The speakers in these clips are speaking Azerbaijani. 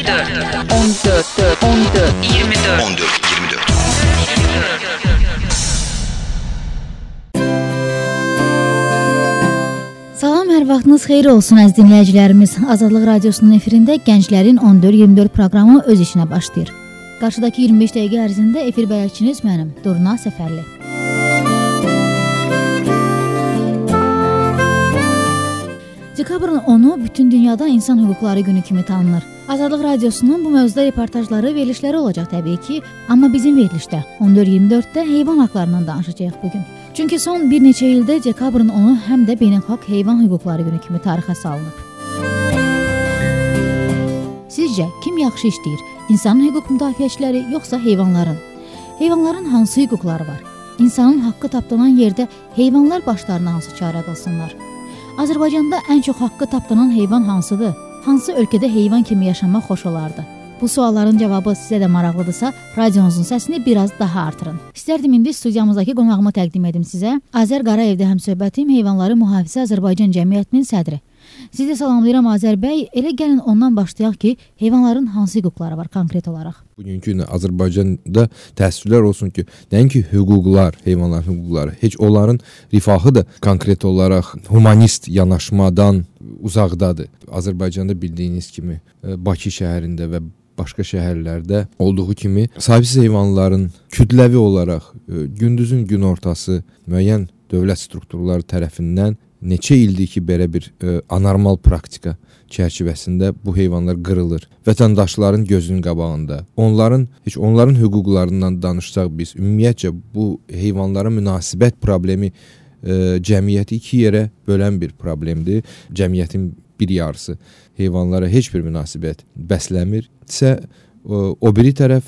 Salam, hər vaxtınız xeyir olsun əziz dinləyicilərimiz. Azadlıq Radiosunun efirində Gənclərin 14-24 proqramı öz işinə başlayır. Qarşıdakı 25 dəqiqə ərzində efir bələdçiniz mənim, Durna Səfərli. Dekabrın 10-u bütün dünyada insan hüquqları günü kimi tanınır. Azadlıq Radiosunun bu mövzuda reportajları, verilişləri olacaq təbii ki, amma bizim verilişdə 14-24-də heyvan haqlarından danışacağıq bugün. Çünki son bir neçə ildə dekabrın 10-u həm də beynəlxalq heyvan hüquqları günü kimi tarixə salınıb. Sizcə, kim yaxşı işləyir? İnsanın hüquq müdafiəçiləri, yoxsa heyvanların? Heyvanların hansı hüquqları var? İnsanın haqqı tapdanan yerdə heyvanlar başlarına hansı çarə qılsınlar? Azərbaycanda ən çox haqqı tapdanan heyvan hansıdır? Hansı ölkədə heyvan kimi yaşamaq xoş olardı? Bu sualların cavabı sizə də maraqlıdırsa, radionuzun səsini biraz daha artırın. İstərdim indi studiyamızdakı qonağımı təqdim edim sizə. Azər Qarayevdə həmsöhbətim Heyvanları Mühafizə Azərbaycan Cəmiyyətinin sədri. Sizi salamlayıram Azər bəy. Elə gəlin ondan başlayaq ki, heyvanların hansı hüquqları var konkret olaraq? Bugünkü gün Azərbaycanda təəssüflər olsun ki, nəinki hüquqlar, heyvanların hüquqları, heç onların rifahı da konkret olaraq humanist yanaşmadan uzaqdadır. Azərbaycanda bildiyiniz kimi Bakı şəhərində və başqa şəhərlərdə olduğu kimi sahibsiz heyvanların kütləvi olaraq gündüzün gün ortası müəyyən dövlət strukturları tərəfindən neçə ildir ki, belə bir anormal praktika çərçivəsində bu heyvanlar qırılır. Vətəndaşların gözünün qabağında. Onların hüquqlarından danışsaq biz, ümumiyyətcə bu heyvanlara münasibət problemi cəmiyyəti iki yerə bölən bir problemdir. Cəmiyyətin bir yarısı heyvanlara heç bir münasibət bəsləmirsə, o biri tərəf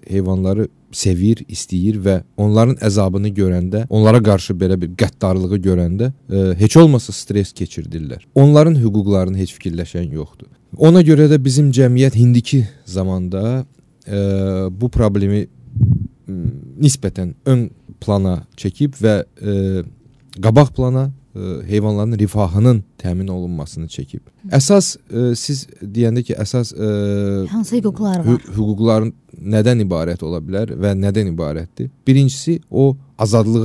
heyvanları sevir, istəyir və onların əzabını görəndə, onlara qarşı belə bir qəddarlığı görəndə heç olmasa stres keçirdirlər. Onların hüquqlarını heç fikirləşən yoxdur. Ona görə də bizim cəmiyyət indiki zamanda bu problemi nisbətən ön plana çəkib və qabaq plana heyvanların rifahının təmin olunmasını çəkib. Əsas siz deyəndə ki, əsas hansı hüquqlar var? Hüquqların nədən ibarət ola bilər və nədən ibarətdir? Birincisi o azadlıq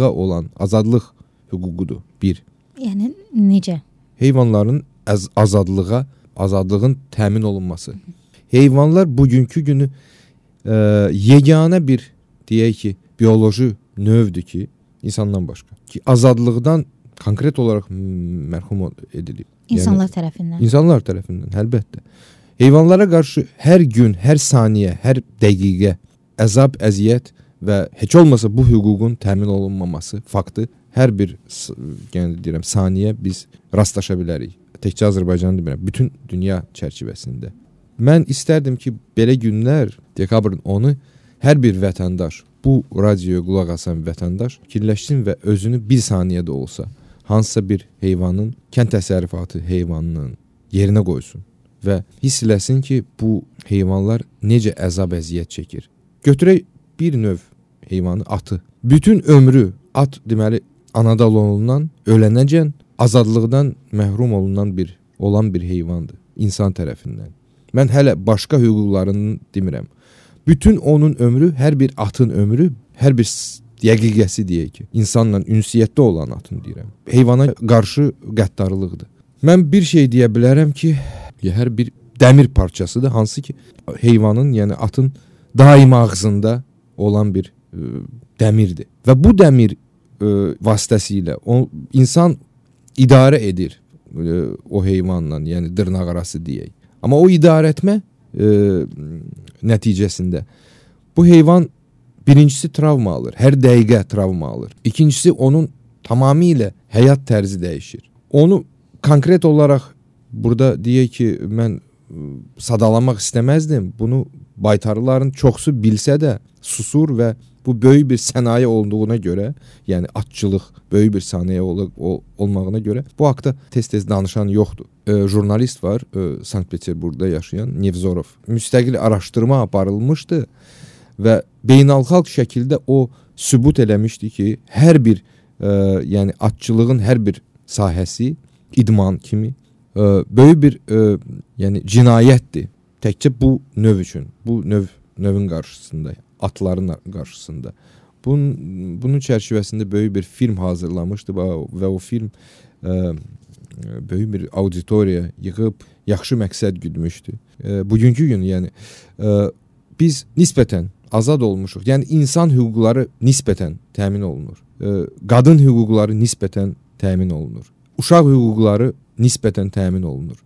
hüququdur. Bir. Yəni necə? Heyvanların azadlığın təmin olunması. Heyvanlar bugünkü günü yeganə bir deyək ki, bioloji növdür ki, insandan başqa ki, azadlıqdan konkret olaraq məhrum edilib. İnsanlar tərəfindən. İnsanlar tərəfindən, əlbəttə. Heyvanlara qarşı hər gün, hər saniyə, hər dəqiqə əzab, əziyyət və heç olmasa bu hüququn təmin olunmaması faktı hər bir saniyə biz rastlaşa bilərik. Təkcə Azərbaycan demirəm, bütün dünya çərçivəsində. Mən istərdim ki, belə günlər, dekabrın 10-u hər bir vətəndaş, bu radioya qulaq asan vətəndaş fikirləşsin və özünü bir saniyədə olsa hansısa bir heyvanın, kənd təsərrüfatı heyvanının yerinə qoysun və hiss eləsin ki, bu heyvanlar necə əzab əziyyət çəkir. Götürək bir növ heyvanı, atı. Bütün ömrü at deməli anadan olunan, ölənəcən azadlıqdan məhrum olan bir heyvandır insan tərəfindən. Mən hələ başqa hüquqlarını demirəm. Bütün onun ömrü, hər bir atın ömrü, hər bir dəqiqəsi deyək ki, insanla ünsiyyətdə olan atın deyirəm. Heyvana qarşı qəddarlıqdır. Mən bir şey deyə bilərəm ki, hər bir dəmir parçasıdır, hansı ki, heyvanın, yəni atın daim ağzında olan bir dəmirdir. Və bu dəmir vasitəsilə insan idarə edir o heyvanla, yəni dırnaq arası deyək. Amma o idarə etmə nəticəsində bu heyvan birincisi travma alır, hər dəqiqə travma alır. İkincisi onun tamamilə həyat tərzi dəyişir. Onu konkret olaraq burada deyək ki, mən sadalamaq istəməzdim. Bunu baytarların çoxsu bilsə də susur və bu böyük bir sənaye olduğuna görə, yəni atçılıq böyük bir sənaye olmağına görə bu haqda tez-tez danışan yoxdur. Jurnalist var, Sankt-Peterburqda yaşayan Nevzorov. Müstəqil araşdırma aparılmışdı və beynəlxalq şəkildə o sübut eləmişdi ki, hər bir yəni atçılığın hər bir sahəsi idman kimi böyük bir yəni cinayətdir. Təkcə bu növ üçün, bu növün qarşısında, atların qarşısında. Bunun çərçivəsində böyük bir film hazırlamışdı və o film böyük bir auditoriya yığıb yaxşı məqsəd güdmüşdü. Bugünkü gün yəni biz nisbətən azad olmuşuq. Yəni insan hüquqları nisbətən təmin olunur. Qadın hüquqları nisbətən təmin olunur. Uşaq hüquqları nisbətən təmin olunur.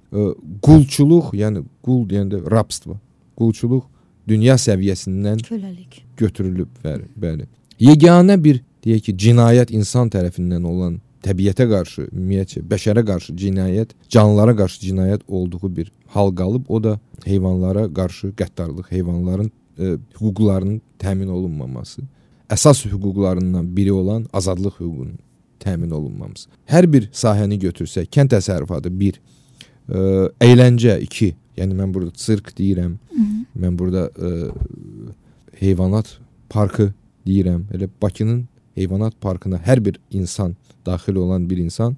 Qulçuluq, yəni qul deyəndə rabство, qulçuluq dünya səviyyəsindən köləlik götürülüb, bəli. Yeganə bir deyək ki, cinayət insan tərəfindən olan təbiətə qarşı, ümumiyyətcə bəşərə qarşı cinayət, canlılara qarşı cinayət olduğu bir hal qalıb, o da heyvanlara qarşı qəddarlıq, heyvanların hüquqlarının təmin olunmaması, əsas hüquqlarından biri olan azadlıq hüququnun təmin olunmaması. Hər bir sahəni götürsək, kənd təsərrüfatı 1, əyləncə 2, yəni mən burada sirk deyirəm, mən burada heyvanat parkı deyirəm. Elə Bakının heyvanat parkına hər bir insan, daxil olan bir insan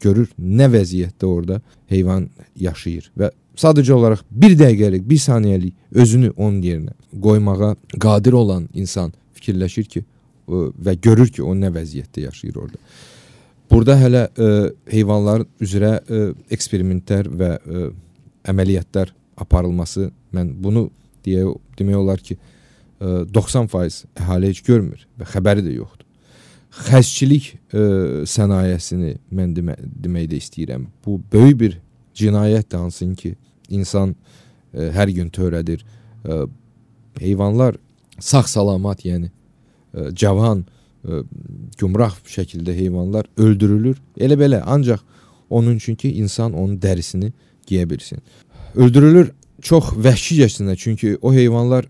görür nə vəziyyətdə orada heyvan yaşayır və sadəcə olaraq bir dəqiqəlik, bir saniyəlik özünü onun yerinə qoymağa qadir olan insan fikirləşir ki və görür ki, o nə vəziyyətdə yaşayır orada. Burada hələ heyvanlar üzrə eksperimentlər və əməliyyatlar aparılması, mən bunu demək olar ki, 90% əhali heç görmür və xəbəri də yoxdur. Xəstçilik sənayesini mən deməkdə istəyirəm. Bu böyük bir cinayətdir, hansın ki, insan hər gün törədir. Heyvanlar sağ-salamat, yəni cavan, gümrah şəkildə heyvanlar öldürülür. Elə belə, ancaq onun üçün ki, insan onun dərisini giyə bilsin. Öldürülür çox vəhşicəsinə, çünki o heyvanlar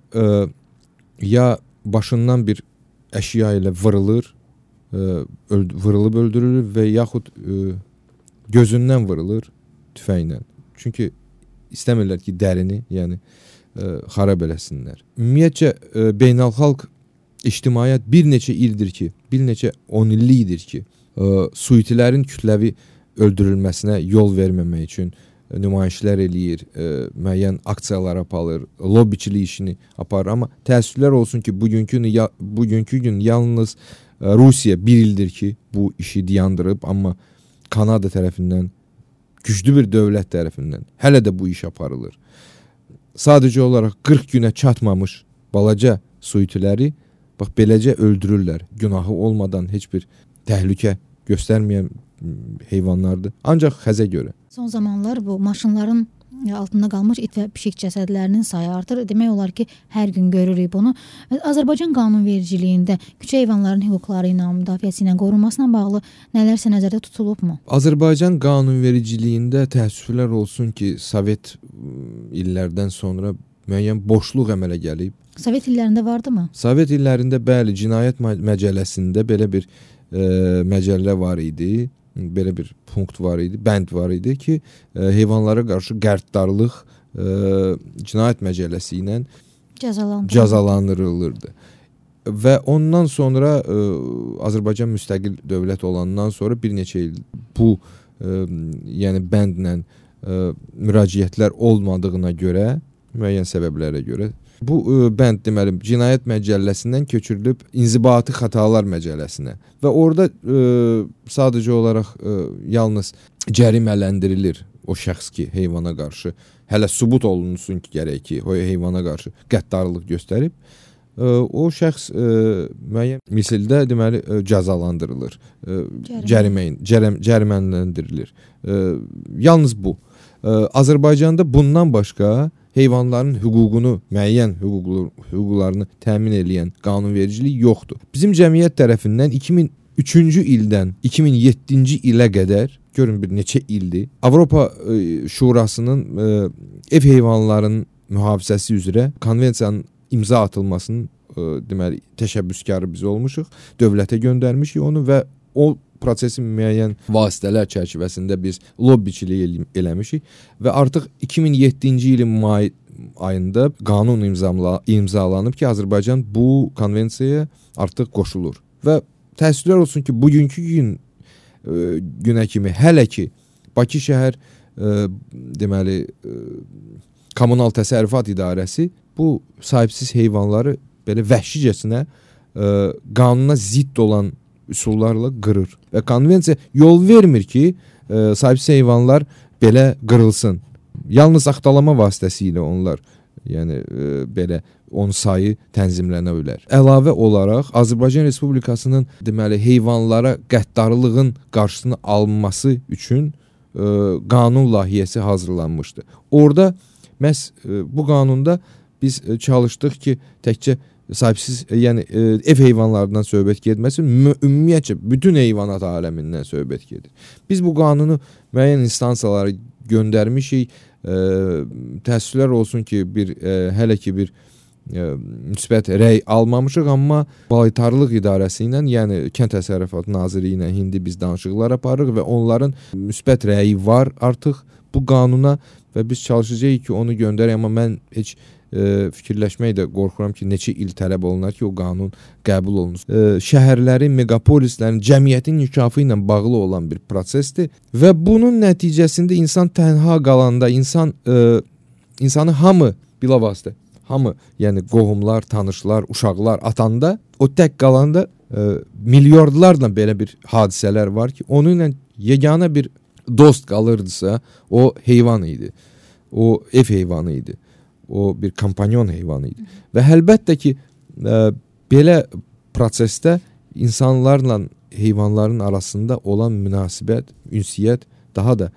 ya başından bir əşya ilə vırılır, vırılıb öldürülür və yaxud gözündən vırılır tüfənglə. Çünki istəmirlər ki, dərini, yəni xarab eləsinlər. Ümumiyyətcə, beynəlxalq ictimaiyyət bir neçə ildir ki, bir neçə 10 illikdir ki, suitilərin kütləvi öldürülməsinə yol verməmək üçün nümayişlər eləyir, müəyyən aksiyalar aparır, lobbiçilik işini aparır. Amma təəssüflər olsun ki, bugünkü gün yalnız Rusiya bir ildir ki, bu işi dayandırıb, amma Kanada tərəfindən, güclü bir dövlət tərəfindən hələ də bu iş aparılır. Sadəcə olaraq 40 günə çatmamış balaca suitiləri bax beləcə öldürürlər. Günahı olmadan heç bir təhlükə göstərməyən heyvanlardır. Ancaq xəzə görə. Son zamanlar bu maşınların altında qalmış it və pişik cəsədlərinin sayı artır. Demək olar ki, hər gün görürük bunu. Azərbaycan qanunvericiliyində küçə heyvanların hüquqları ilə, müdafiəsi ilə qorunmasına bağlı nələrsə nəzərdə tutulubmu? Azərbaycan qanunvericiliyində təəssüflər olsun ki, Sovet illərdən sonra müəyyən boşluq əmələ gəlib. Sovet illərində vardımı? Sovet illərində bəli, cinayət məcəlləsində belə bir məcəllə var idi. Belə bir punkt var idi, bənd var idi ki, heyvanlara qarşı qəddarlıq cinayət məcəlləsi ilə cəzalandırılırdı. Və ondan sonra Azərbaycan müstəqil dövlət olandan sonra bir neçə il bu yəni bəndlə müraciətlər olmadığına görə, müəyyən səbəblərə görə bu bənd deməli cinayət məcəlləsindən köçürülüb inzibati xətalar məcəlləsinə və orada sadəcə olaraq yalnız cərimələndirilir o şəxs ki, heyvana qarşı hələ sübut olunsun ki, gərək ki, o heyvana qarşı qəddarlıq göstərib, o şəxs müəyyən misildə deməli cəzalandırılır, cərimələndirilir. Yalnız bu. Azərbaycanda bundan başqa heyvanların hüququnu, müəyyən hüquqlarını təmin edən qanunvericilik yoxdur. Bizim cəmiyyət tərəfindən 2003-cü ildən 2007-ci ilə qədər, görün bir neçə ildir, Avropa Şurasının ev heyvanlarının mühafizəsi üzrə konvensiyanın imza atılmasının deməli təşəbbüskarı biz olmuşuq, dövlətə göndərmişik onu və o prosesin müəyyən vasitələr çərçivəsində biz lobbiçilik eləmişik və artıq 2007-ci ilin may ayında qanun imzalanıb ki, Azərbaycan bu konvensiyaya artıq qoşulur. Və təəssüflər olsun ki, bugünkü günə kimi hələ ki Bakı şəhər deməli Kommunal Təsərrüfat İdarəsi bu sahibsiz heyvanları belə vəhşicəsinə qanuna zidd olan üsullarla qırır. Və konvensiya yol vermir ki, sahibsiz heyvanlar belə qırılsın. Yalnız axtalama vasitəsilə onlar, yəni belə onun sayı tənzimlənə bilər. Əlavə olaraq Azərbaycan Respublikasının deməli heyvanlara qəddarlığın qarşısını alınması üçün qanun layihəsi hazırlanmışdı. Orada məhz bu qanunda biz çalışdıq ki, təkcə sahibsiz, yəni ev heyvanlarından söhbət getməsin, ümumiyyətcə bütün heyvanat aləmindən söhbət gedir. Biz bu qanunu müəyyən instansiyalara göndərmişik. Təəssüflər olsun ki, hələ ki bir müsbət rəy almamışıq, amma Baytarlıq İdarəsi ilə, yəni Kənd Təsərrüfatı Nazirliyi ilə indi biz danışıqlar aparırıq və onların müsbət rəyi var artıq bu qanuna və biz çalışacağıq ki, onu göndərək, amma mən heç fikirləşmək də qorxuram ki, neçə il tələb olunar ki, o qanun qəbul olunur. Şəhərlərin, megapolislərin, cəmiyyətin inkişafı ilə bağlı olan bir prosesdir və bunun nəticəsində insan tənha qalanda, insanı hamı bilavasitə, hamı, yəni qohumlar, tanışlar, uşaqlar atanda, o tək qalanda milyardlarla belə bir hadisələr var ki, onunla yeganə bir dost qalırdısa, o heyvan idi. O ev heyvanı idi. O bir kompanyon heyvanı idi. Və əlbəttə ki, belə prosesdə insanlarla heyvanların arasında olan münasibət, ünsiyyət daha da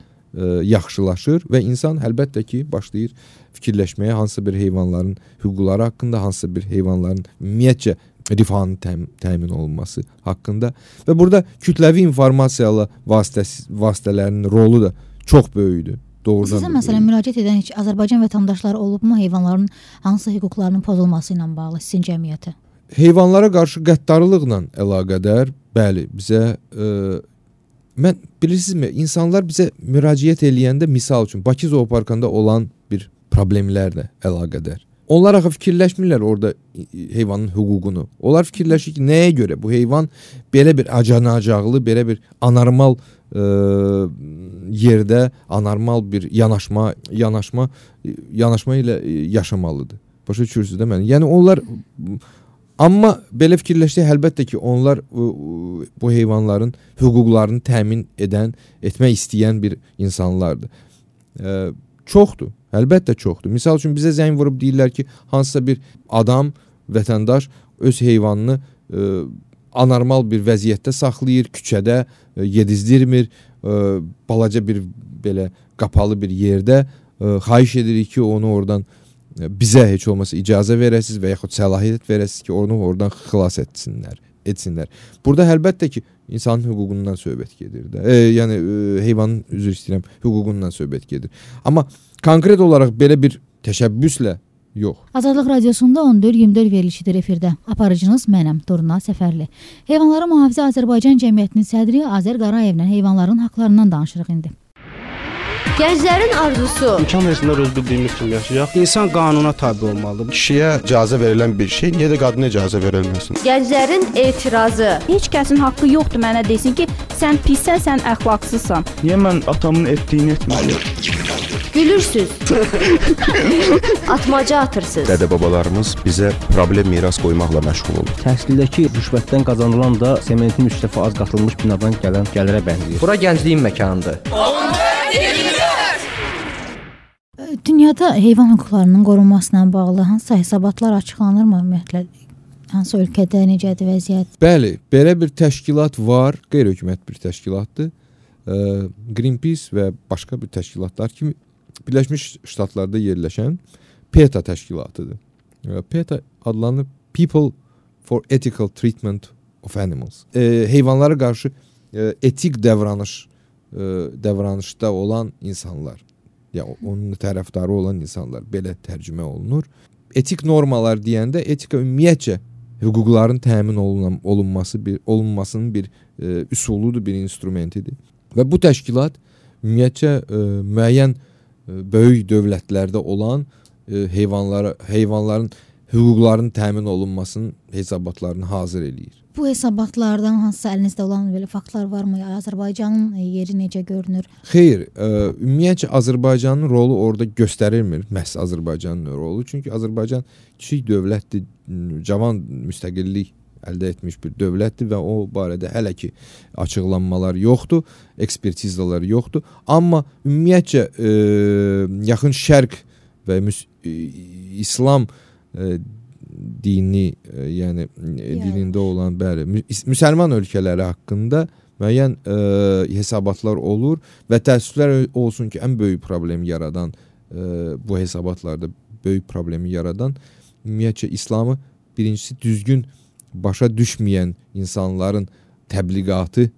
yaxşılaşır və insan əlbəttə ki, başlayır fikirləşməyə hansısa bir heyvanların hüquqları haqqında, hansısa bir heyvanların ümumiyyətcə rifahının təmin olunması haqqında və burada kütləvi informasiyalı vasitələrin rolu da çox böyükdür. Sizə məsələn müraciət edən heç Azərbaycan vətəndaşları olubmu heyvanların hansı hüquqlarının pozulması ilə bağlı sizin cəmiyyətə? Heyvanlara qarşı qəddarlıqla əlaqədar, bəli, bizə bilirsinizmi, insanlar bizə müraciət eləyəndə misal üçün Bakı Zooparkında olan bir problemlərlə əlaqədar. Onlar axı fikirləşmirlər orada heyvanın hüququnu. Onlar fikirləşir ki, nəyə görə bu heyvan belə bir acanacaqlı, belə bir anormal yerdə anormal bir yanaşma ilə yaşamalıdır. Başa düşürsünüz də mən. Yəni onlar, amma belə fikirləşsə əlbəttə ki, onlar bu heyvanların hüquqlarını təmin etmək istəyən bir insanlardır. Çoxdur. Əlbəttə çoxdur. Misal üçün bizə zəng vurub deyirlər ki, hansısa bir adam, vətəndaş öz heyvanını anormal bir vəziyyətdə saxlayır, küçədə yedizdirmir, balaca bir belə qapalı bir yerdə xahiş edirik ki, onu oradan bizə heç olmasa icazə verəsiniz və yaxud səlahiyyət verəsiniz ki, onu oradan xilas etsinlər. Burada əlbəttə ki, insanın hüququndan söhbət gedir də. Yəni heyvanın, üzr istəyirəm, hüququndan söhbət gedir. Amma konkret olaraq belə bir təşəbbüslə yox. Azadlıq Radiosunda 14-24 verilişidir efirdə. Aparıcınız mənəm, Durna Səfərli. Heyvanları Mühafizə Azərbaycan Cəmiyyətinin sədri Azər Qarayevlə heyvanların haqlarından danışırıq indi. Gənclərin arzusu. İmkan versinlər öz bildiyimiz kimi yaşayaq. İnsan qanuna tabi olmalıdır. Kişiyə icazə verilən bir şey, niyə də qadına icazə verilməsin? Gənclərin etirazı. Heç kəsin haqqı yoxdur mənə desin ki, sən pissən, sən əxlaqsızsan. Niyə mən atamın etdiyini etməliyəm? Gülürsüz. Atmaca atırsınız. Dədə-babalarımız bizə problem miras qoymaqla məşğul olur. Təhsildəki rüşvətdən qazanılan da sementin 3 dəfə az qatılmış binadan gələn gəlirə bənzəyir. Bura gəncliyin məkanıdır. Dünyada heyvan hüquqlarının qorunmasına bağlı hansısa hesabatlar açıqlanırmı ümumiyyətlə? Hansı ölkədə necədir vəziyyət? Bəli, belə bir təşkilat var, qeyri-hökumət bir təşkilatdır. Greenpeace və başqa bir təşkilatlar kimi Birləşmiş Ştatlarda yerləşən PETA təşkilatıdır. PETA adlanır People for Ethical Treatment of Animals. Heyvanlara qarşı etik davranışda olan insanlar, ya onun tərəfdarı olan insanlar belə tərcümə olunur. Etik normalar deyəndə etika ümumiyyətcə hüquqların təmin olunmasının bir üsuludur, bir instrumentidir. Və bu təşkilat ümumiyyətcə müəyyən böyük dövlətlərdə olan heyvanların hüquqlarının təmin olunmasının hesabatlarını hazır eləyir. Bu hesabatlardan hansısa əlinizdə olan belə faktlar varmı? Azərbaycanın yeri necə görünür? Xeyr, ümumiyyətcə Azərbaycanın rolu orada göstərilmir. Məhz Azərbaycanın rolu. Çünki Azərbaycan kiçik dövlətdir, cavan müstəqillik əldə etmiş bir dövlətdir və o barədə hələ ki açıqlanmalar yoxdur, ekspertizalar yoxdur. Amma ümumiyyətcə Yaxın Şərq və İslam dini, yəni dilində olan bəli, müsəlman ölkələri haqqında müəyyən hesabatlar olur və təəssüflər olsun ki, ən böyük problemi yaradan bu hesabatlarda böyük problemi yaradan ümumiyyətcə İslamı birincisi düzgün başa düşməyən insanların təbliğatı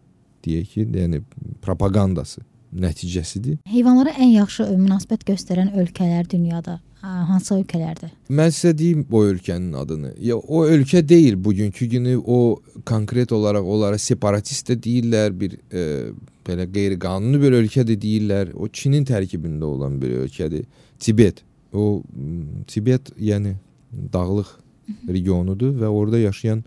deyək ki, yəni propagandası nəticəsidir. Heyvanlara ən yaxşı münasibət göstərən ölkələr dünyada hansı ölkələrdir? Mən sizə deyim o ölkənin adını. Ya o ölkə deyil bugünkü günü, o konkret olaraq onlara separatist də deyirlər, bir belə qeyri-qanuni bir ölkə də deyirlər. O Çinin tərkibində olan bir ölkədir. Tibet. O Tibet yəni dağlıq regionudur və orada yaşayan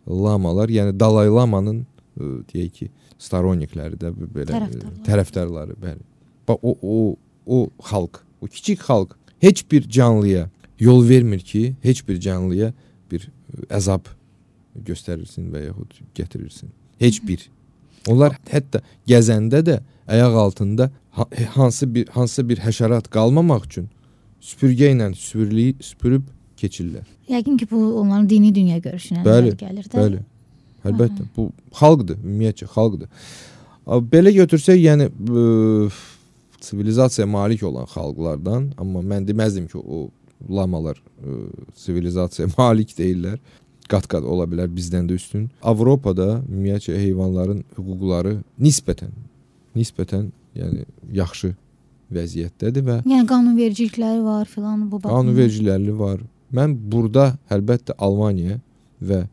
lamalar, yəni Dalai Lama'nın deyək ki, staronikləri də belə tərəfdarları, bəli. O xalq, o kiçik xalq heç bir canlıya yol vermir ki, heç bir canlıya bir əzab göstərilsin və yaxud gətirilsin. Heç bir. Onlar hətta gəzəndə də ayaq altında hansısa bir həşərat qalmamaq üçün süpürgə ilə süpürüb keçirlər. Yəqin ki, bu onların dini dünya görüşünə gəlir də. Bəli. Əlbəttə, bu xalqdır, ümumiyyətcə xalqdır. Belə götürsək, yəni sivilizasiyaya malik olan xalqlardan, amma mən deməzdim ki, o lamalar sivilizasiyaya malik deyirlər. Qat-qat ola bilər bizdən də üstün. Avropada ümumiyyətcə heyvanların hüquqları nisbətən yəni yaxşı vəziyyətdədir və yəni qanunvericilikləri var filan bu baxımdan. Qanunvericilikləri var. Mən burada əlbəttə Almaniya və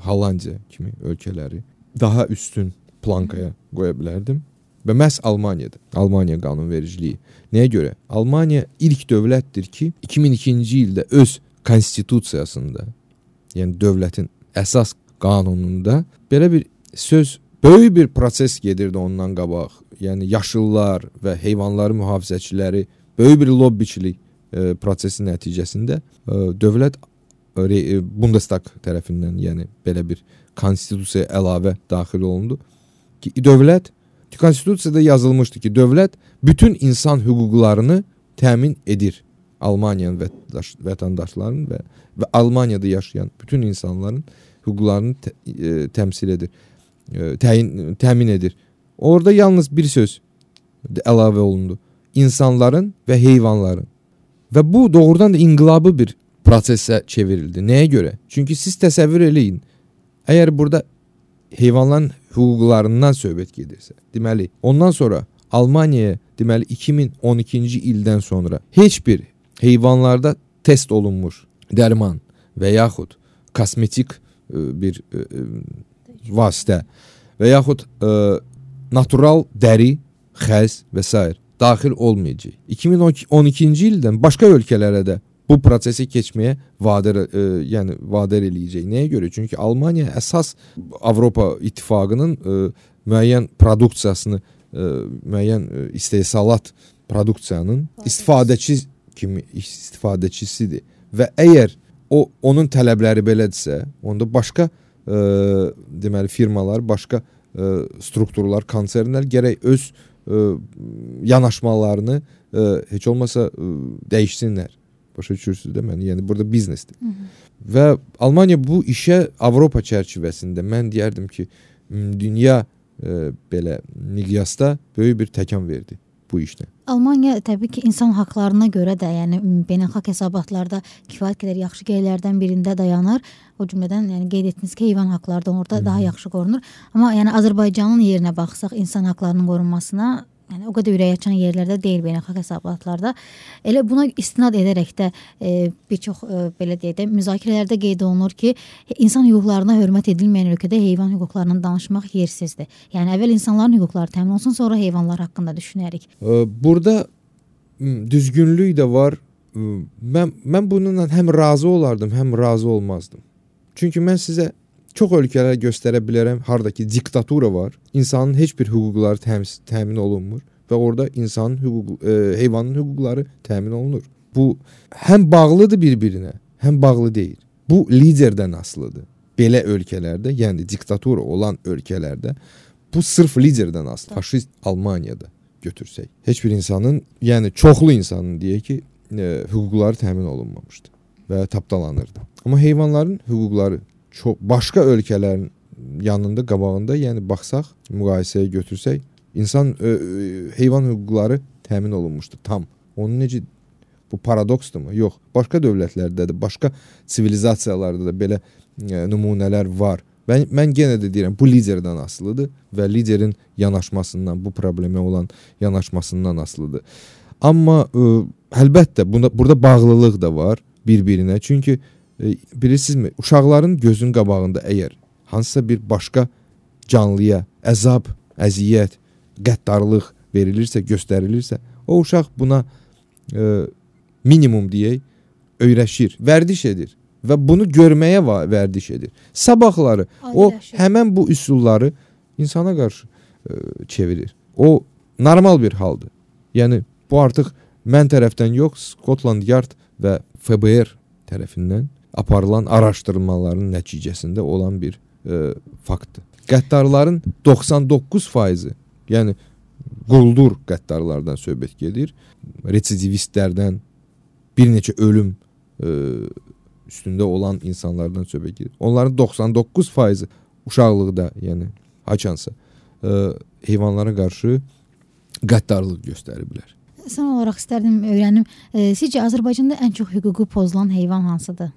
Hollandiya kimi ölkələri daha üstün plankaya qoya bilərdim. Və məhz Almaniyadır. Almaniya qanunvericiliyi. Nəyə görə? Almaniya ilk dövlətdir ki, 2002-ci ildə öz konstitusiyasında, yəni dövlətin əsas qanununda belə bir söz, böyük bir proses gedirdi ondan qabaq. Yəni yaşıllar və heyvanların mühafizəçiləri böyük bir lobbiçilik prosesi nəticəsində dövlət Bundestag tərəfindən, yəni belə bir konstitusiyaya əlavə daxil olundu ki, dövlət konstitusiyada yazılmışdı ki, dövlət bütün insan hüquqlarını təmin edir. Almaniyanın vətəndaşlarının və Almaniyada yaşayan bütün insanların hüquqlarını təmsil edir, təmin edir. Orada yalnız bir söz əlavə olundu. İnsanların və heyvanların. Və bu doğrudan da inqilabı bir prosesə çevrildi. Nəyə görə? Çünki siz təsəvvür eləyin. Əgər burada heyvanların hüquqlarından söhbət gedirsə, deməli, ondan sonra Almaniyaya deməli 2012-ci ildən sonra heç bir heyvanlarda test olunmuş dərman və yaxud kosmetik bir vasitə və yaxud natural dəri, xəz və s. daxil olmayacaq. 2012-ci ildən başqa ölkələrə də bu prosesi keçməyə vadar eləyəcək. Nəyə görə? Çünki Almaniya əsas Avropa İttifaqının müəyyən produksiyasını, müəyyən istehsalat produksiyanın istifadəçisidir. Və əgər onun tələbləri belədirsə, onda başqa deməli firmalar, başqa strukturlar, konsernlər gərək öz yanaşmalarını heç olmasa dəyişsinlər. Başa düşürsünüz də mən, yəni burada biznesdir. Və Almaniya bu işə Avropa çərçivəsində mən deyərdim ki, dünya belə miqyasda böyük bir təkan verdi bu işlə. Almaniya təbii ki, insan haqlarına görə də, yəni beynəlxalq hesabatlarda kifayət qədər yaxşı yerlərdən birində dayanır. O cümlədən yəni qeyd etdiniz ki, heyvan haqları da orada daha yaxşı qorunur. Amma yəni Azərbaycanın yerinə baxsaq insan haqlarının qorunmasına, yəni o qədər ürək açan yerlərdə deyil beynəlxalq hesabatlarda. Elə buna istinad edərək də bir çox belə deyək də müzakirələrdə qeyd olunur ki, insan hüquqlarına hörmət edilməyən ölkədə heyvan hüquqlarından danışmaq yersizdir. Yəni əvvəl insanların hüquqları təmin olsun, sonra heyvanlar haqqında düşünərik. Burada düzgünlük də var. Mən bununla həm razı olardım, həm razı olmazdım. Çünki mən sizə çox ölkələr göstərə bilərəm, hardakı diktatura var. İnsanın heç bir hüquqları təmin olunmur və orada insanın heyvanın hüquqları təmin olunur. Bu həm bağlıdır bir-birinə, həm bağlı deyil. Bu liderdən asılıdır. Belə ölkələrdə, yəni diktatura olan ölkələrdə bu sırf liderdən asılı. Faşist Almaniyada götürsək, heç bir insanın, yəni çoxlu insanın deyək ki, hüquqları təmin olunmamışdı və tapdalanırdı. Amma heyvanların hüquqları başqa ölkələrin yanında, qabağında, yəni baxsaq, müqayisəyə götürsək, heyvan hüquqları təmin olunmuşdu tam. Onun necə, bu paradoksdurmu? Yox. Başqa dövlətlərdə də, başqa sivilizasiyalarda da belə nümunələr var. Mən yenə də deyirəm, bu liderdən asılıdır və liderin yanaşmasından, bu problemə olan yanaşmasından asılıdır. Amma əlbəttə burada bağlılıq da var bir-birinə. Çünki bilirsinizmi, uşaqların gözünün qabağında əgər hansısa bir başqa canlıya əzab, əziyyət, qəddarlıq verilirsə, göstərilirsə, o uşaq buna minimum deyək, öyrəşir, vərdiş edir və bunu görməyə vərdiş edir. Sabahları o həmən bu üsulları insana qarşı çevirir. O normal bir haldır. Yəni bu artıq mən tərəfdən yox, Scotland Yard və FBR tərəfindən aparılan araşdırmaların nəticəsində olan bir faktdır. Qəddarların 99%, yəni quldur qəddarlardan söhbət gedir, residivistlərdən, bir neçə ölüm üstündə olan insanlardan söhbət gedir. Onların 99% uşaqlıqda, yəni haçansa heyvanlara qarşı qəddarlıq göstəriblər. Son olaraq istərdim öyrənim, sizcə Azərbaycanda ən çox hüququ pozulan heyvan hansıdır?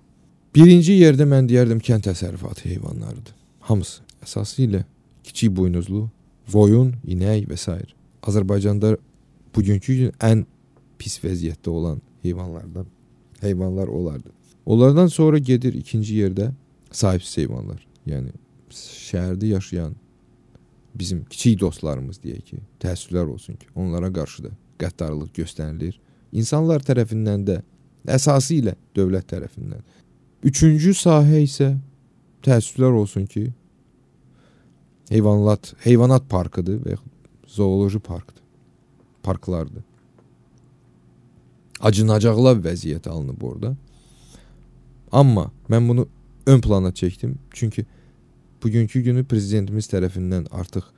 Birinci yerdə mən deyərdim kənd təsərrüfatı heyvanlarıdır. Hamısı. Əsasıyla kiçik buynuzlu, qoyun, inək və s. Azərbaycanda bugünkü gün ən pis vəziyyətdə olan heyvanlar olardı. Onlardan sonra gedir ikinci yerdə sahibsiz heyvanlar. Yəni şəhərdə yaşayan bizim kiçik dostlarımız deyək ki, təəssüflər olsun ki, onlara qarşı da qəddarlıq göstərilir. İnsanlar tərəfindən də, əsasıyla dövlət tərəfindən. Üçüncü sahə isə təəssüflər olsun ki, heyvanat parkıdır və zooloji parklardır. Acınacaqlar vəziyyət alınıb orada. Amma mən bunu ön plana çəkdim. Çünki bugünkü günü prezidentimiz tərəfindən artıq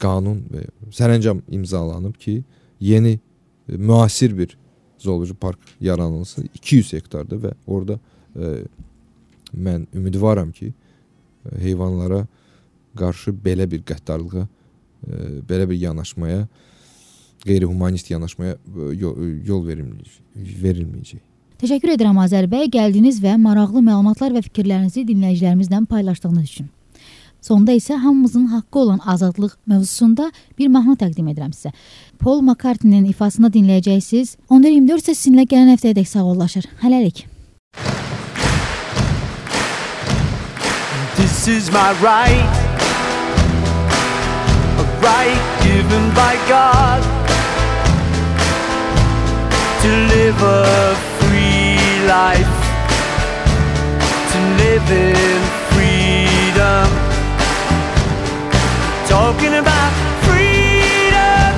qanun və sərəncam imzalanıb ki, yeni müasir bir zooloji park yaranılsın 200 hektarda və orada mən ümidvaram ki, heyvanlara qarşı belə bir qəddarlığa, belə bir yanaşmaya, qeyri-humanist yanaşmaya yol verilməyəcək. Təşəkkür edirəm Azər bəy, gəldiniz və maraqlı məlumatlar və fikirlərinizi dinləyicilərimizlə paylaşdığınız üçün. Sonda isə hamımızın haqqı olan azadlıq mövzusunda bir mahnı təqdim edirəm sizə. Paul McCartney'nin ifasını dinləyəcəksiniz. 14-24 isə sizinlə gələn həftəyədək sağollaşır. Hələlik. This is my right, a right given by God, to live a free life, to live in freedom. Talking about freedom,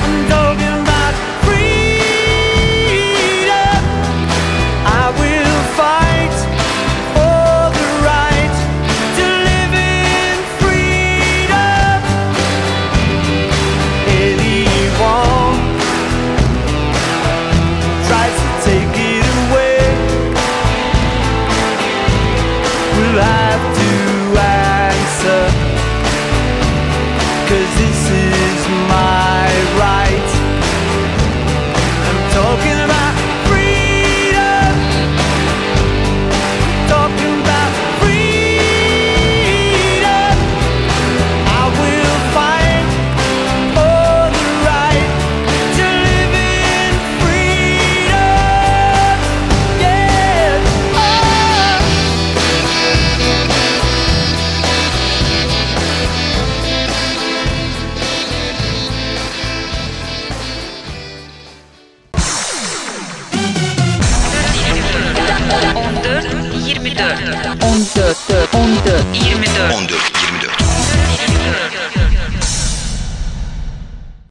I'm talking about freedom. I will fight for the right to live in freedom. Anyone tries to take it away will have to answer 10